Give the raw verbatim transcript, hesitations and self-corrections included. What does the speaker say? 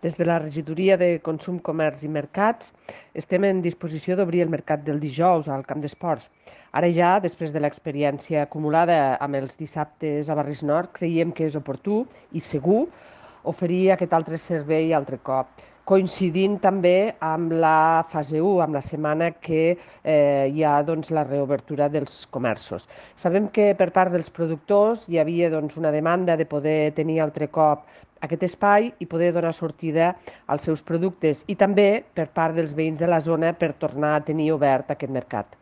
Des de la Regidoria de Consum, Comerç i Mercats estem en disposició d'obrir el mercat del dijous al Camp d'Esports. Ara ja, després de l'experiència acumulada amb els dissabtes a Barris Nord, creiem que és oportú i segur oferir aquest altre servei altre cop, coincidint també amb la fase u, amb la setmana que eh, hi ha doncs, la reobertura dels comerços. Sabem que per part dels productors hi havia doncs, una demanda de poder tenir altre cop aquest espai i poder donar sortida als seus productes i també per part dels veïns de la zona per tornar a tenir obert aquest mercat.